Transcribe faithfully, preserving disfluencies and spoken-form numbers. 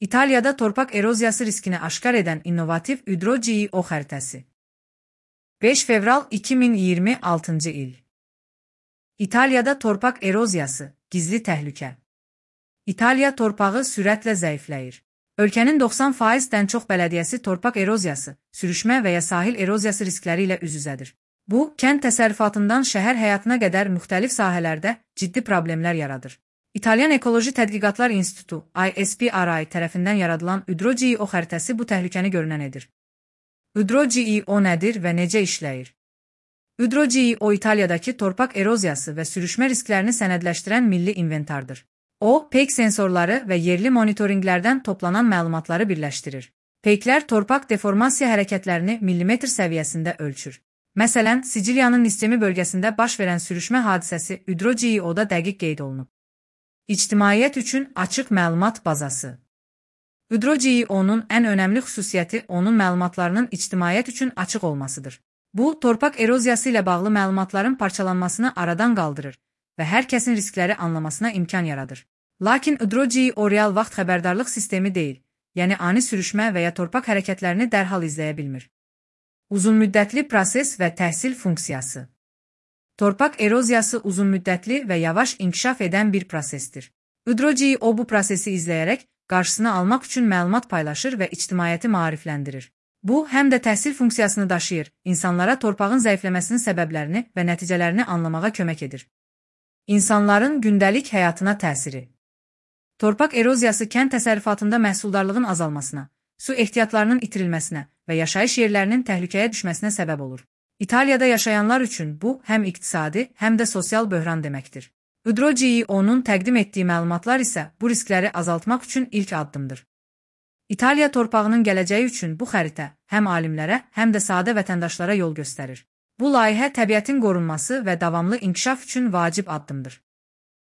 İtaliyada torpaq eroziyası riskini aşkar edən innovativ Hydro-Geo xəritəsi. beş fevral iki min iyirmi altıncı il. İtaliyada torpaq eroziyası, gizli təhlükə. İtaliya torpağı sürətlə zəifləyir. Ölkənin doxsan faizdən çox bələdiyyəsi torpaq eroziyası, sürüşmə və ya sahil eroziyası riskləri ilə üz-üzədir. Bu, kənd təsərrüfatından şəhər həyatına qədər müxtəlif sahələrdə ciddi problemlər yaradır. İtalyan Ekoloji Tədqiqatlar İnstitutu I S P R I tərəfindən yaradılan Hydro-Geo xəritəsi bu təhlükəni görünən edir. Hydro-Geo nədir və necə işləyir? Hydro-Geo İtaliyadakı torpaq eroziyası və sürüşmə risklərini sənədləşdirən milli inventardır. O, peyk sensorları və yerli monitorinqlərdən toplanan məlumatları birləşdirir. Peyklər torpaq deformasiya hərəkətlərini millimetr səviyyəsində ölçür. Məsələn, Siciliyanın Nistemi bölgəsində baş verən sürüşmə hadisəsi Hydro-Geo'da dəqiq qeyd olunub. İctimaiyyət üçün açıq məlumat bazası. Hydro-Geo'nun ən önəmli xüsusiyyəti onun məlumatlarının ictimaiyyət üçün açıq olmasıdır. Bu, torpaq eroziyası ilə bağlı məlumatların parçalanmasını aradan qaldırır və hər kəsin riskləri anlamasına imkan yaradır. Lakin Hydro-Geo real vaxt xəbərdarlıq sistemi deyil, yəni ani sürüşmə və ya torpaq hərəkətlərini dərhal izləyə bilmir. Uzunmüddətli proses və təhsil funksiyası. Torpaq eroziyası uzunmüddətli və yavaş inkişaf edən bir prosesdir. Hydro-Geo bu prosesi izləyərək qarşısını almaq üçün məlumat paylaşır və ictimaiyyəti maarifləndirir. Bu, həm də təhsil funksiyasını daşıyır, insanlara torpağın zəifləməsinin səbəblərini və nəticələrini anlamağa kömək edir. İnsanların gündəlik həyatına təsiri. Torpaq eroziyası kənd təsərrüfatında məhsuldarlığın azalmasına, su ehtiyatlarının itirilməsinə və yaşayış yerlərinin təhlükəyə düşməsinə səbəb olur. İtaliyada yaşayanlar üçün bu, həm iqtisadi, həm də sosial böhran deməkdir. Hydro-Geo'nun təqdim etdiyi məlumatlar isə bu riskləri azaltmaq üçün ilk addımdır. İtaliya torpağının gələcəyi üçün bu xəritə həm alimlərə, həm də sadə vətəndaşlara yol göstərir. Bu layihə təbiətin qorunması və davamlı inkişaf üçün vacib addımdır.